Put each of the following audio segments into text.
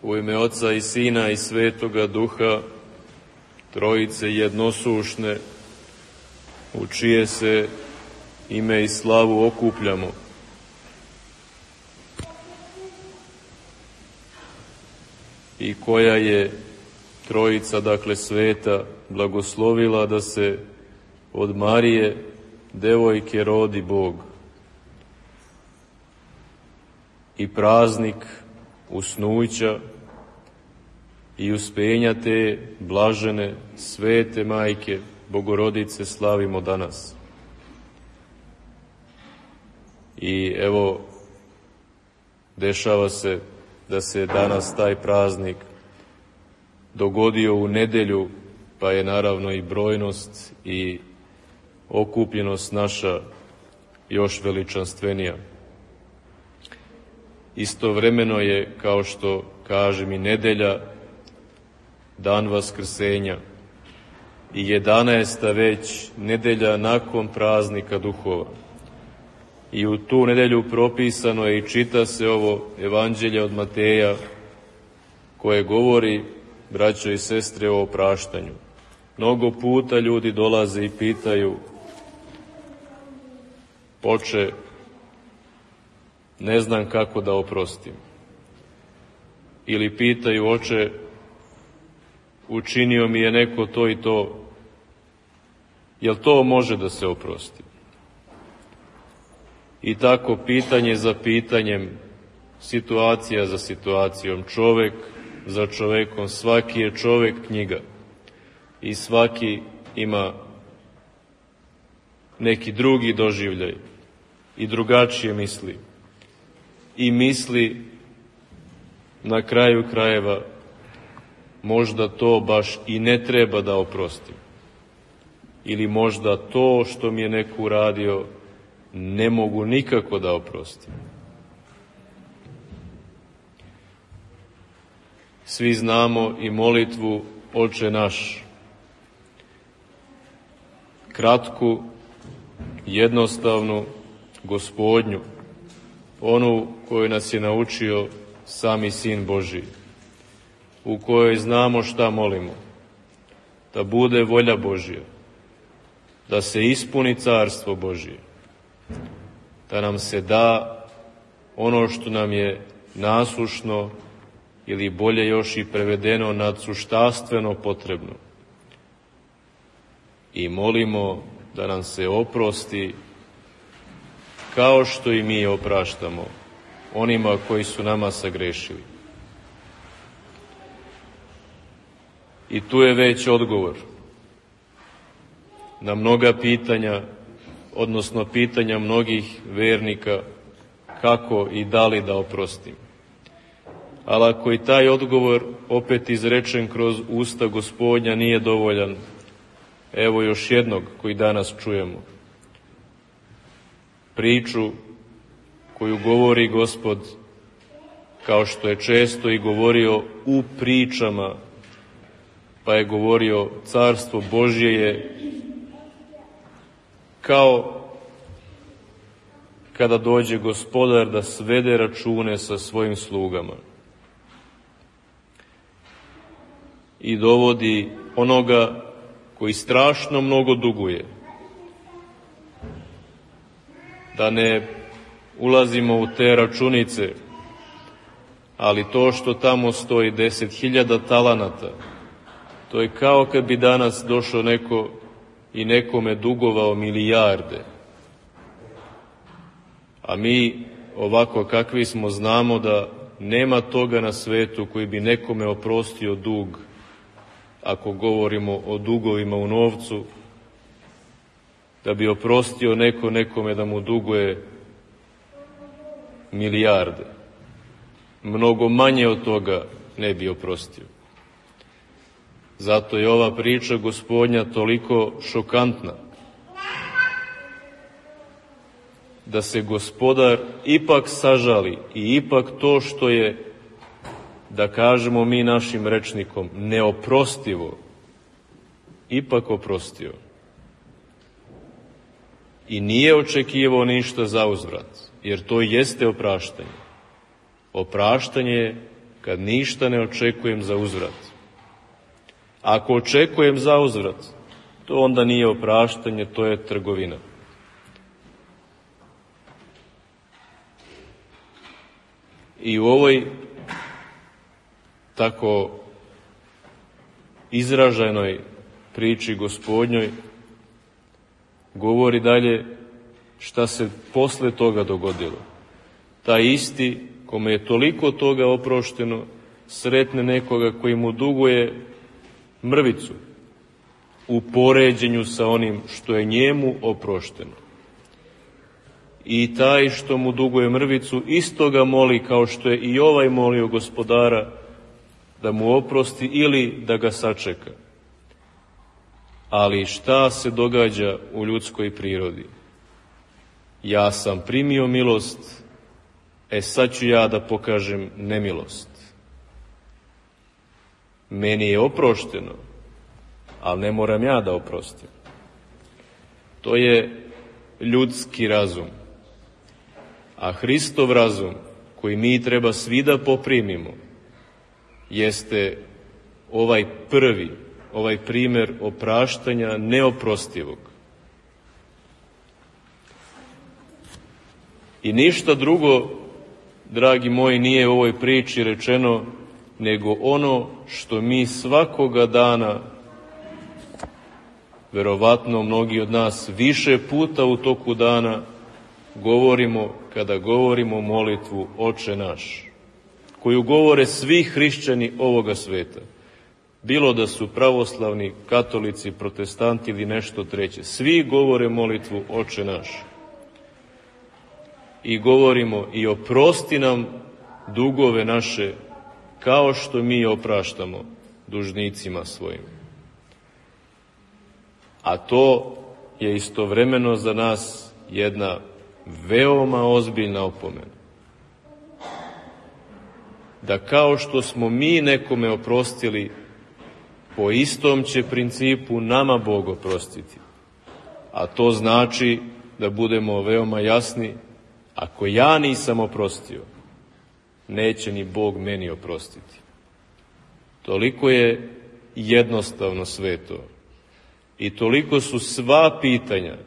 U ime Oca i Sina i Svetoga Duha, Trojice jednosušne, u čije se ime i slavu okupljamo. I koja je Trojica, dakle sveta, blagoslovila da se od Marije, devojke, rodi Bog. I praznik usnuća i uspenja te blažene, svete Majke, Bogorodice, slavimo danas. I evo, dešava se da se danas taj praznik dogodio u nedelju, pa je naravno i brojnost i okupljenost naša još veličanstvenija. Istovremeno je, kao što kažem, i nedelja, dan Vaskrsenja i 11. već nedelja nakon praznika duhova. I u tu nedelju propisano je i čita se ovo Evanđelje od Mateja, koje govori, braćo i sestre, o opraštanju. Mnogo puta ljudi dolaze i pitaju: Oče, ne znam kako da oprostim. Ili pitaju: Oče, učinio mi je neko to i to, jel to može da se oprosti? I tako pitanje za pitanjem, situacija za situacijom, čovek za čovekom, svaki je čovek knjiga i svaki ima neki drugi doživljaj i drugačije misli. I misli na kraju krajeva možda to baš i ne treba da oprostim. Ili možda to što mi je neko uradio ne mogu nikako da oprostim. Svi znamo i molitvu Oče naš. Kratku, jednostavnu, Gospodnju, onu koju nas je naučio sami Sin Božji, u kojoj znamo šta molimo: da bude volja Božja, da se ispuni carstvo Božje, da nam se da ono što nam je nasušno, ili bolje još i prevedeno, nadsuštastveno potrebno. I molimo da nam se oprosti, kao što i mi opraštamo onima koji su nama sagrešili. I tu je već odgovor na mnoga pitanja, odnosno pitanja mnogih vernika, kako i da li da oprostim. Ali ako i taj odgovor, opet izrečen kroz usta Gospodnja, nije dovoljan, evo još jednog koji danas čujemo. Priču koju govori Gospod, kao što je često i govorio u pričama, pa je govorio: Carstvo Božje je kao kada dođe Gospodar da svede račune sa svojim slugama i dovodi onoga koji strašno mnogo duguje. Da ne ulazimo u te računice, ali to što tamo stoji 10.000 talanata, to je kao kad bi danas došao neko i nekome dugovao milijarde. A mi, ovako kakvi smo, znamo da nema toga na svetu koji bi nekome oprostio dug, ako govorimo o dugovima u novcu, da bi oprostio neko nekome da mu duguje milijarde. Mnogo manje od toga ne bi oprostio. Zato je ova priča Gospodnja toliko šokantna. Da se Gospodar ipak sažali i ipak to što je, da kažemo mi našim rečnikom, neoprostivo, ipak oprostio. I nije očekivao ništa za uzvrat, jer to jeste opraštanje. Opraštanje je kad ništa ne očekujem za uzvrat. Ako očekujem za uzvrat, to onda nije opraštanje, to je trgovina. I u ovoj tako izraženoj priči Gospodnjoj govori dalje šta se posle toga dogodilo. Taj isti, kome je toliko toga oprošteno, sretne nekoga koji mu duguje mrvicu u poređenju sa onim što je njemu oprošteno. I taj što mu duguje mrvicu isto ga moli, kao što je i ovaj molio Gospodara da mu oprosti ili da ga sačeka. Ali šta se događa u ljudskoj prirodi? Ja sam primio milost, sad ću ja da pokažem nemilost. Meni je oprošteno, ali ne moram ja da oprostim. To je ljudski razum. A Hristov razum, koji mi treba svi da poprimimo, jeste ovaj prvi, ovaj primer opraštanja neoprostivog. I ništa drugo, dragi moji, nije u ovoj priči rečeno, nego ono što mi svakoga dana, verovatno mnogi od nas više puta u toku dana, govorimo kada govorimo molitvu Oče naš, koju govore svi hrišćani ovoga sveta. Bilo da su pravoslavni, katolici, protestanti ili nešto treće. Svi govore molitvu Oče naš. I govorimo i oprosti nam dugove naše, kao što mi opraštamo dužnicima svojim. A to je istovremeno za nas jedna veoma ozbiljna opomena. Da kao što smo mi nekome oprostili, po istom će principu nama Bog oprostiti. A to znači, da budemo veoma jasni, ako ja nisam oprostio, neće ni Bog meni oprostiti. Toliko je jednostavno sve to. I toliko su sva pitanja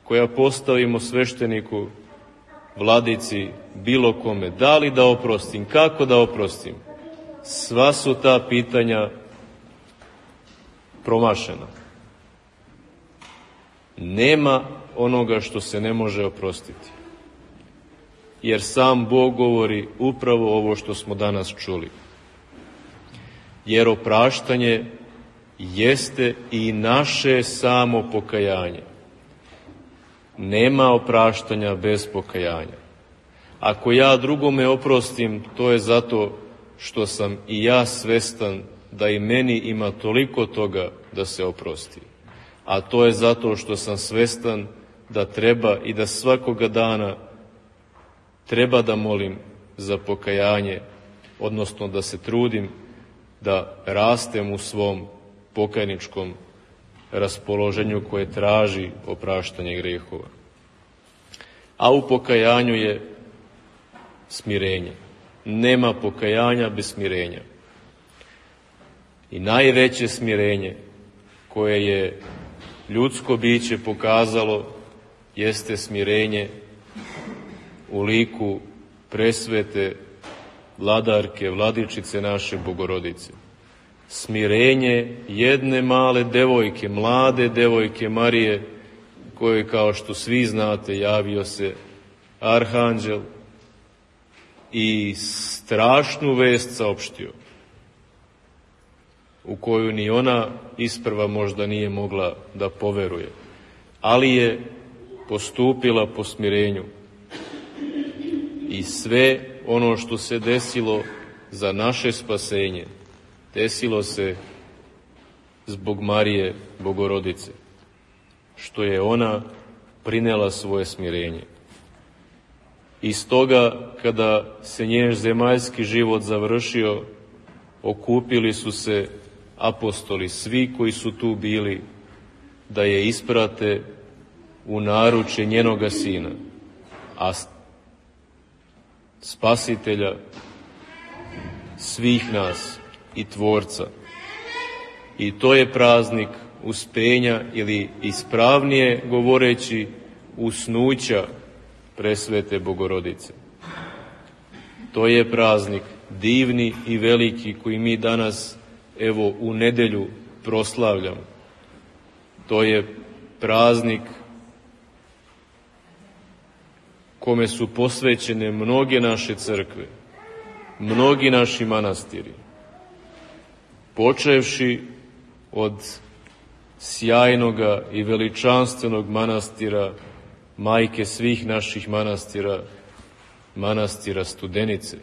koja postavimo svešteniku, vladici, bilo kome, da li da oprostim, kako da oprostim, sva su ta pitanja promašena. Nema onoga što se ne može oprostiti. Jer sam Bog govori upravo ovo što smo danas čuli. Jer opraštanje jeste i naše samo pokajanje. Nema opraštanja bez pokajanja. Ako ja drugome oprostim, to je zato što sam i ja svestan da i meni ima toliko toga da se oprosti. A to je zato što sam svestan da treba i da svakoga dana treba da molim za pokajanje, odnosno da se trudim da rastem u svom pokajničkom raspoloženju koje traži opraštanje grehova. A u pokajanju je smirenje. Nema pokajanja bez smirenja. I najveće smirenje koje je ljudsko biće pokazalo jeste smirenje u liku presvete vladarke, vladičice naše Bogorodice. Smirenje jedne male devojke, mlade devojke Marije, kojoj, kao što svi znate, javio se arhanđel i strašnu vest saopštio, u koju ni ona isprva možda nije mogla da poveruje, ali je postupila po smirenju. I sve ono što se desilo za naše spasenje, desilo se zbog Marije Bogorodice, što je ona prinela svoje smirenje. I stoga, kada se njen zemaljski život završio, okupili su se apostoli, svi koji su tu bili, da je isprate u naručje njenoga sina, a spasitelja svih nas i Tvorca. I to je praznik uspenja ili ispravnije govoreći usnuća presvete Bogorodice. To je praznik divni i veliki koji mi danas, evo, u nedelju proslavljamo. To je praznik kome su posvećene mnoge naše crkve, mnogi naši manastiri, počevši od sjajnoga i veličanstvenog manastira, majke svih naših manastira, manastira Studenice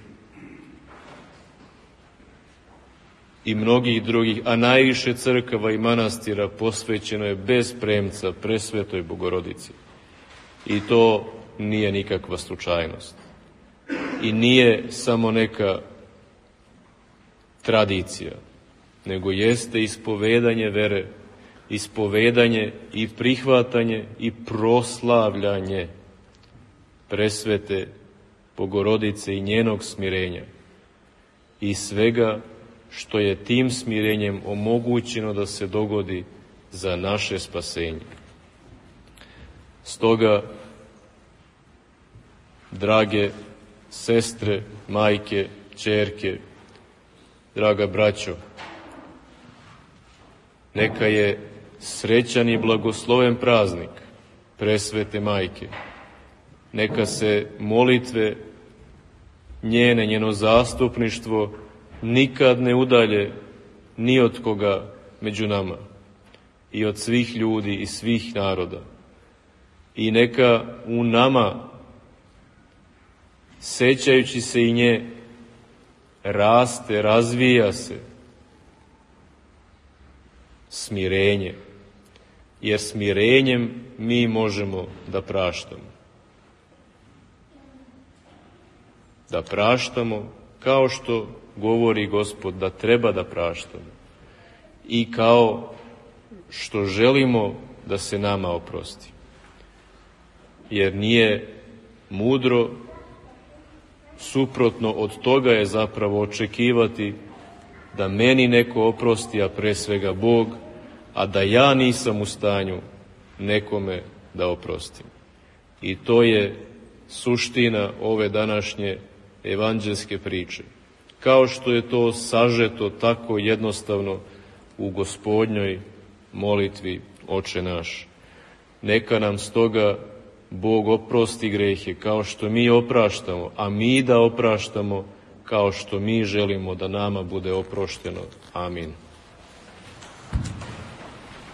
i mnogih drugih, a najviše crkava i manastira posvećeno je bez premca presvetoj Bogorodici. I to nije nikakva slučajnost. I nije samo neka tradicija, nego jeste ispovedanje vere, ispovedanje i prihvatanje i proslavljanje presvete Bogorodice i njenog smirenja i svega što je tim smirenjem omogućeno da se dogodi za naše spasenje. Stoga, drage sestre, majke, ćerke, draga braćo, neka je srećan i blagosloven praznik presvete majke. Neka se molitve njene, njeno zastupništvo nikad ne udalje ni od koga među nama i od svih ljudi i svih naroda. I neka u nama, sećajući se i nje, raste, razvija se smirenje, jer smirenjem mi možemo da praštamo. Da praštamo kao što govori Gospod da treba da praštamo i kao što želimo da se nama oprosti. Jer nije mudro, suprotno od toga je zapravo očekivati da meni neko oprosti, a pre svega Bog, a da ja nisam u stanju nekome da oprostim. I to je suština ove današnje evanđelske priče. Kao što je to sažeto tako jednostavno u Gospodnjoj molitvi Oče naš. Neka nam stoga Bog oprosti grehe kao što mi opraštamo, a mi da opraštamo kao što mi želimo da nama bude oprošteno. Amin.